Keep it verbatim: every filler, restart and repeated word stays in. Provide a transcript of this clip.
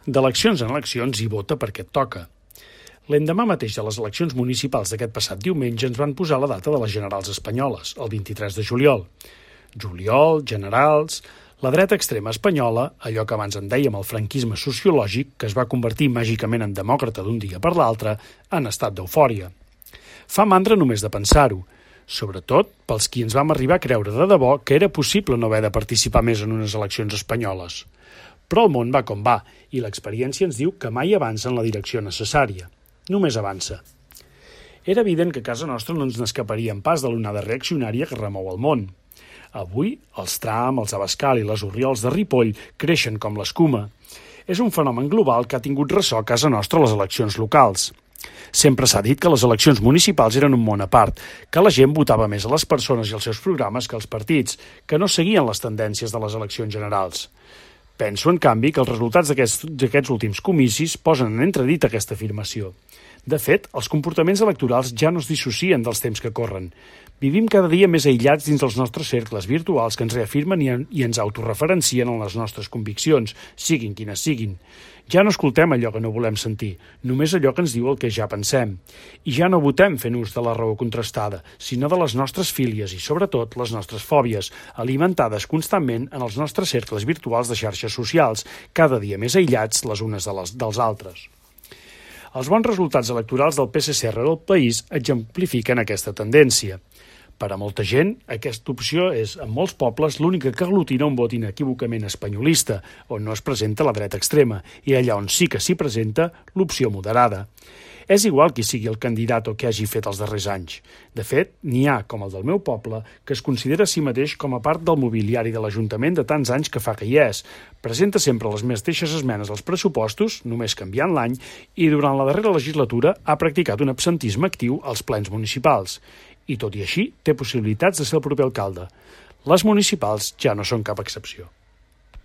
D'eleccions en eleccions i vota perquè et toca. L'endemà mateix de les eleccions municipals d'aquest passat diumenge ens van posar la data de les generals espanyoles, el vint-i-tres de juliol. Juliol, generals... La dreta extrema espanyola, allò que abans en dèiem el franquisme sociològic, que es va convertir màgicament en demòcrata d'un dia per l'altre, en estat d'eufòria. Fa mandra només de pensar-ho, sobretot pels qui ens vam arribar a creure de debò que era possible no haver de participar més en unes eleccions espanyoles. Però el món va com va, i l'experiència ens diu que mai avança en la direcció necessària. Només avança. Era evident que a casa nostra no ens n'escaparíem pas de l'onada reaccionària que remou el món. Avui, els Trump, els Abascal i les Orriols de Ripoll creixen com l'escuma. És un fenomen global que ha tingut ressò a casa nostra a les eleccions locals. Sempre s'ha dit que les eleccions municipals eren un món a part, que la gent votava més a les persones i als seus programes que als partits, que no seguien les tendències de les eleccions generals. Penso, en canvi, que els resultats d'aquests d'aquests últims comicis posen en entredit aquesta afirmació. De fet, els comportaments electorals ja no es dissocien dels temps que corren. Vivim cada dia més aïllats dins els nostres cercles virtuals que ens reafirmen i, en, i ens autorreferencien en les nostres conviccions, siguin quines siguin. Ja no escoltem allò que no volem sentir, només allò que ens diu el que ja pensem. I ja no votem fent ús de la raó contrastada, sinó de les nostres fílies i, sobretot, les nostres fòbies, alimentades constantment en els nostres cercles virtuals de xarxes socials, cada dia més aïllats les unes de les, dels altres. Els bons resultats electorals del P S C arreu del país exemplifiquen aquesta tendència. Per a molta gent, aquesta opció és, en molts pobles, l'única que aglutina un vot inequívocament espanyolista, on no es presenta la dreta extrema, i allà on sí que s'hi presenta, l'opció moderada. És igual qui sigui el candidat o què hagi fet els darrers anys. De fet, n'hi ha, com el del meu poble, que es considera a si mateix com a part del mobiliari de l'Ajuntament de tants anys que fa que hi és. Presenta sempre les mateixes esmenes als pressupostos, només canviant l'any, i durant la darrera legislatura ha practicat un absentisme actiu als plens municipals. I tot i així, té possibilitats de ser el proper alcalde. Les municipals ja no són cap excepció.